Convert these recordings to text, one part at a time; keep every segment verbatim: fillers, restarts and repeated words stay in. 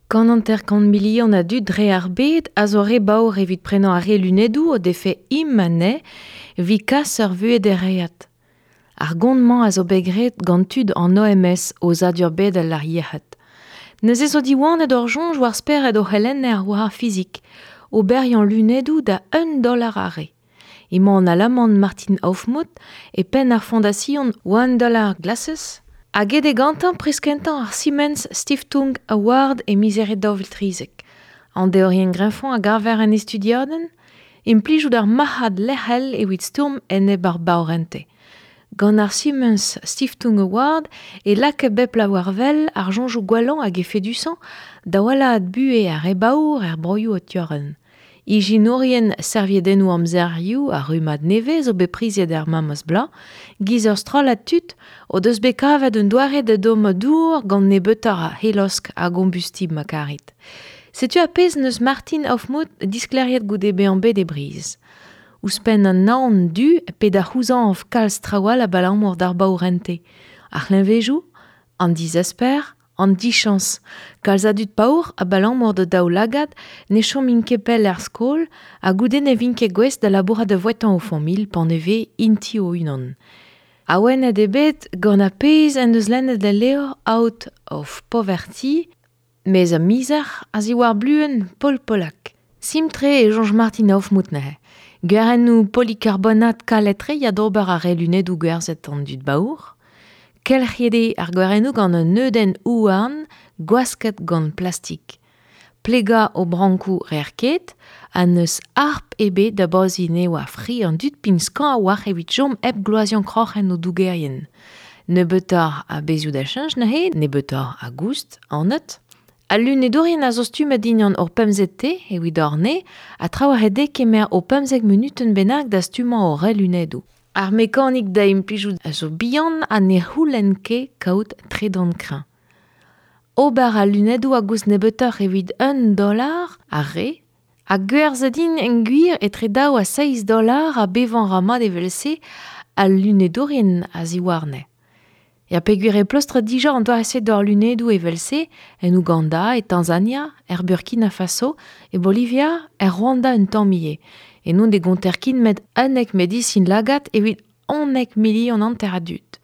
Kant hanter-kant milion a dud dre ar bed a zo re baour evit prenañ ar re lunedoù o defe imane evit kas ur vuhez dereat. Ar gont-mañ a zo bet graet gant tud an O M S o zadur bedel ar yec'hed. Neuze zo diwanet ur soñj war spered o c'helenner war ar fizik, oberiañ lunedoù da un dollar ar re. Emañ an Alaman Martin Aufmuth e penn ar Fondation One Dollar Glasses hag eo gantañ priz kentañ ar Siemens Stiftung Award e miz Here daou vil trizek. An deorien greñfoñ a gaver en e studiadenn, implijout ar marc'had lec'hel evit stourm enep ar baourente. Gant ar Siemens Stiftung Award e laka bep la war wel ar soñjoù gwellañ hag efedusañ da wellaat buhez ar re baour er broioù o tiorren. Ijinourien serviedennoù amzerioù ar rummad nevez zo bet priziet er memes bloaz, giz ur strollad tud o deus bet kavet un doare da dommañ dour gant nebeutoc'h a helosk hag kombustibl ma karit. Setu ar pezh neus Martin Aufmuth disklêriet goude bezañ bet e briz. Ouzhpenn an naon du pe da c'houzañv kalz trawal abalamour d'ar baourente. Ar c'hleñvejoù, an dizesper, an dichañs. Kalz a dud paour abalamour da daoulagad ne chomint ket pell er skol ha goude ne vint ket gouest da labourat da vouetañ o familh pan e vez inti o-unan. Awenet eo bet gant ar pezh en deus lennet al levr Out of Poverty, mez a mizer a ziwar bluenn Paul Pollack. Simtre e soñj Martin Aufmuth neuze. Gwerennoù polikarbonat kalet-tre ya d'ober ar re lunedoù gwerzhet an dud baour. Kelc'hiet eo ar gwerennoù gant un neudenn houarn gwasket gant plastik. Plegañ o brankoù reer ket, ha n'eus harp ebet da boziñ eo ar fri an dud pign skañv a-walc'h evit chom hep gloaziañ kroc'hen o dougerien. Nebeutoc'h a bezhioù da cheñch neuze, nebeutoc'h a goust, anat. Al lunedourien a zo stummet dindan ur pemzek te evit orne, ha traoù a eo kemer o pemzek munutenn bennak da stummañ o re lunedoù. Ar mekanik da implijout a zo bihan ha ne c'houlenn ket kaout tredan kreñv. Ober al lunedoù a goust nebeutoc'h evit un dollar ar re, ha gwerzhet int en gwir etre daou ha seizh dollar ha bevañ ra mat evel-se al lunedourien a ziwarne. Ya peogwir e pleustr dija an doare-se d'hor lunedoù evel-se en Ouganda, e Tanzania, er Burkina Faso, e Bolivia, er Rwanda un tamm ivez. E non de gonter kin met unnek medisin lagad evit unnek milion hanter a dud.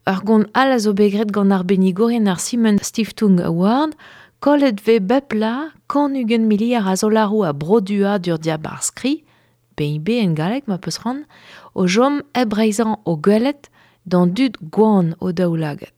Ur gont all a zo bet graet gant ar bennigourien ar Siemens Stiftung Award, kollet vez bep la kant ugent miliard a zolaroù a broduañ dur diabarzh skri, P I B en galleg ma peus c'hoant, o chom hep reizhañ o gwelet d'an dud gwan o daoulagad.